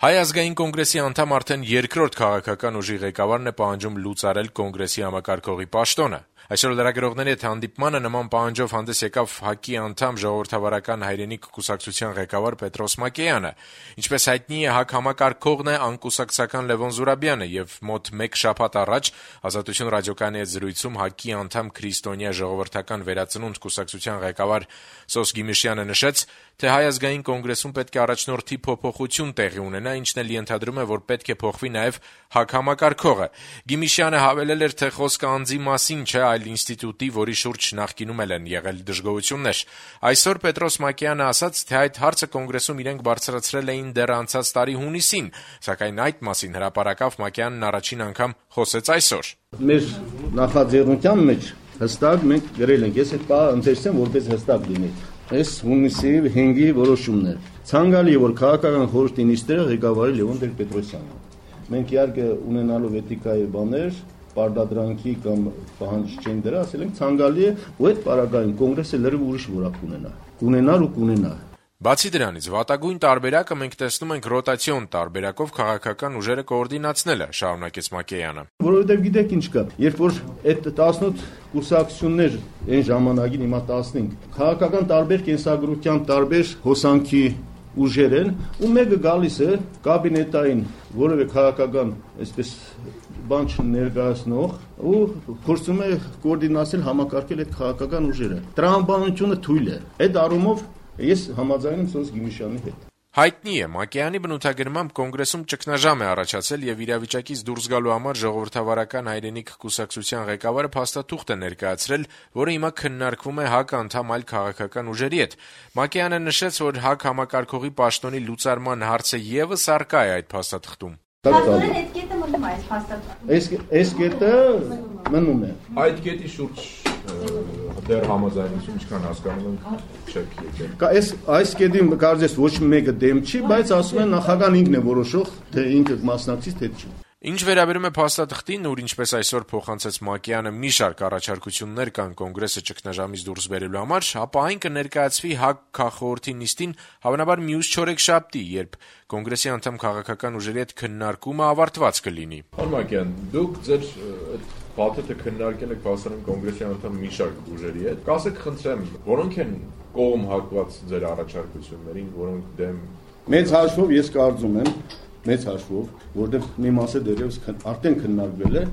Հայ ազգային կոնգրեսի անդամ արդեն երկրորդ քաղաքական ուժի ղեկավարն է պահանջում լուծարել կոնգրեսի համակարգողի պաշտոնը։ Այսօր լրագրողների հետ հանդիպմանը նման պահանջով հանդես եկավ ՀԱԿ-ի անդամ Ժողովրդավարական հայրենիք կուսակցության ղեկավար Պետրոս Մակեյանը։ Ինչպես հայտնի է, ՀԱԿ համակարգողն է անկուսակցական Լևոն Զուրաբյանը եւ մոտ 1 շաբաթ առաջ Ազատություն ռադիոկայանի հետ զրույցում ՀԱԿ-ի անդամ Քրիստոնյա ժողովրդական վերածնունդ կուսակցության ղեկավար Սոս Գիմիշյանը նշեց, թե Հայ ազգային կոնգրեսում պետք է առաջնորդի փոփոխություն տեղի ունենա, ինչն էլ ենթադրում է, որ պետք է փոխվի նաեւ ՀԱԿ համակարգողը։ Գիմիշյանը հավելել էր, թե խոսքը անձի մասին չէ, այլ ինստիտուտի, որի շուրջ նախկինում են եղել դժգոհություններ։ Այսօր Պետրոս Մակեյանը ասաց, թե այդ հարցը կոնգրեսում իրենք բարձրացրել էին դեռ անցած տարի հունիսին, սակայն այդ մասին հրապարակավ Մակեյանն առաջին անգամ խոսեց այսօր։ Մեր նախաձեռնության մեջ հստակ մենք գրել ենք, ես այդ բանը ընթերցեմ, որպես հստակ լինի։ Այս հունիսի 5-ի որոշումն է։ Ցանկալի է, որ քաղաքական խորհրդի նիստերը ղեկավարի Լևոն Տեր-Պետրոսյանը։ Մենք իհարկե ունենալով էթիկայի բաներ, պարտադրանքի կամ պահանջ չեն դրա, ասել ենք ցանկալի է, ու այդ պարագային կոնգրեսը լրիվ ուրիշ որակ կունենա։ Կունենար ու կունենա։ Բացի դրանից, վատագույն տարբերակը մենք տեսնում ենք ռոտացիոն տարբերակով քաղաքական ուժերը կոորդինացնելը, շարունակեց Մակեյանը։ Որովհետև գիտեք ինչ կա, երբ որ այդ 18 կուսակցություններ այն ժամանակին հիմա 15 քաղաքական տարբեր կենսագրության տարբեր հոսանքի ուժեր են, ու մեկը գալիս է կաբինետային որևէ քաղաքական, այսպես բան չներկայացնող ու փորձում է կոորդինացնել համակարգել այդ քաղաքական ուժերը։ Տրամաբանությունը թույլ է։ Այդ առումով ես համաձայն եմ Սոս Գիմիշյանի հետ։ Հայտնի է, Մակեյանի բնութագրմամբ կոնգրեսում ճգնաժամ է առաջացել եւ իրավիճակից դուրս գալու համար Ժողովրդավարական հայրենիք կուսակցության ղեկավարը փաստաթուղթ է ներկայացրել, որը հիմա քննարկվում է ՀԱԿ անդամ այլ քաղաքական ուժերի հետ։ Մակեյանը նշեց, որ ՀԱԿ համակարգողի պաշտոնի լուծարման հարցը եւս առկա է այդ փաստաթղթում։ Այդ կետը մնում է այս փաստաթղթում։ Այս կետը մնում է։ Այդ կետի շուրջ դեռ համաձայնություն ինչքան հասկանում եմ չեք եկել։ Այս կետի կարծես ոչ մեկը դեմ չի, բայց ասում են նախագահան ինքն է որոշող, թե ինքը մասնակցից թե չի։ Ինչ վերաբերում է փաստաթղթին, ուր ինչպես այսօր փոխանցեց Մակեյանը մի շարք առաջարկություններ կան կոնգրեսը ճգնաժամից դուրս բերելու համար, ապա այն կներկայացվի ՀԱԿ քաղխորհրդի նիստին հավանաբար մյուս չորեքշաբթի, երբ կոնգրեսի անդամ քաղաքական ուժերի հետ քննարկումը ավարտված կլինի։ Պարոն Մակեյան, դուք ձեր փաթեթը քննարկել եք բացառում կոնգրեսի անդամ մի շարք ուժերի հետ։ Կասեք, խնդրեմ, որոնք են կողմ հակված ձեր առաջարկություններին, որոնք դեմ։ Մեծ հաշվով ես կարծում եմ, որտեղ մի մասը դեռևս արդեն քննարկվել է,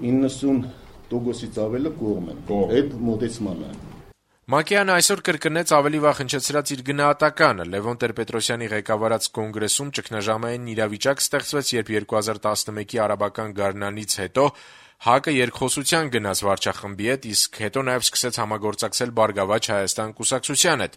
90%-ից ավելը կողմ են այդ մոտեցմանը։ Մակեյանը այսօր կրկնեց ավելի վաղ հնչեցրած իր գնահատականը։ Լևոն Տեր-Պետրոսյանի ղեկավարած կոնգրեսում ճգնաժամային իրավիճակ ստեղծվեց, երբ 2011-ի արաբական գարնանից հետո ՀԱԿ-ը երկխոսության գնաց վարչախմբի հետ, իսկ հետո նաև սկսեց համագործակցել Բարգավաճ Հայաստան կուսակցության հետ։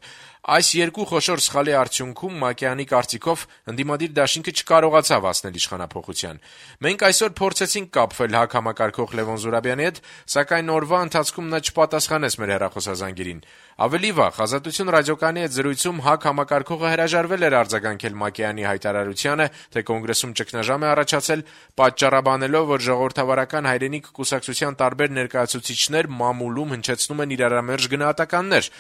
Այս երկու խոշոր սխալի արդյունքում Մակեյանի կարծիքով ընդդիմադիր դաշինքը չկարողացավ հասնել իշխանափոխության։ Մենք այսօր փորձեցինք կապվել ՀԱԿ համակարգող Լևոն Զուրաբյանի հետ, սակայն օրվա ընթացքում նա չպատասխանեց մեր հեռախոսազանգերին։ Ավելի վաղ Ազատություն ռադիոկայանի հետ զրույցում ՀԱԿ համակարգողը հրաժարվել էր արձագանքել Մակեյանի հայտարարությանը, թե կոնգրեսում ճգնաժամ է առաջացել, պատճառաբանելով, որ Ժողովրդավարական հայրենիք կուսակցության տարբեր ներկայացուցիչներ մամուլում հնչեցնում են իրարամերժ գնահատականներ։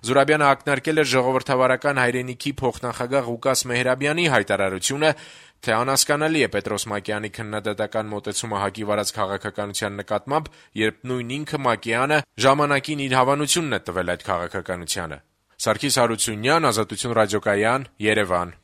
Զուրաբյանը ակնարկել էր Ժողովրդավարական հայրենիքի փոխնախագահ Ղուկաս Մեհրաբյանի հայտարարությունը, թե անհասկանալի է Պետրոս Մակեյանի քննադատական մոտեցումը ՀԱԿ-ի վարած քաղաքականության նկատմամբ, երբ նույն ինքը Մակեյանը ժամանակին իր հավանությունն է տվել այդ քաղաքականությանը։ Սարգիս Հարությունյան, Ազատություն ռադիոկայան, Երևան։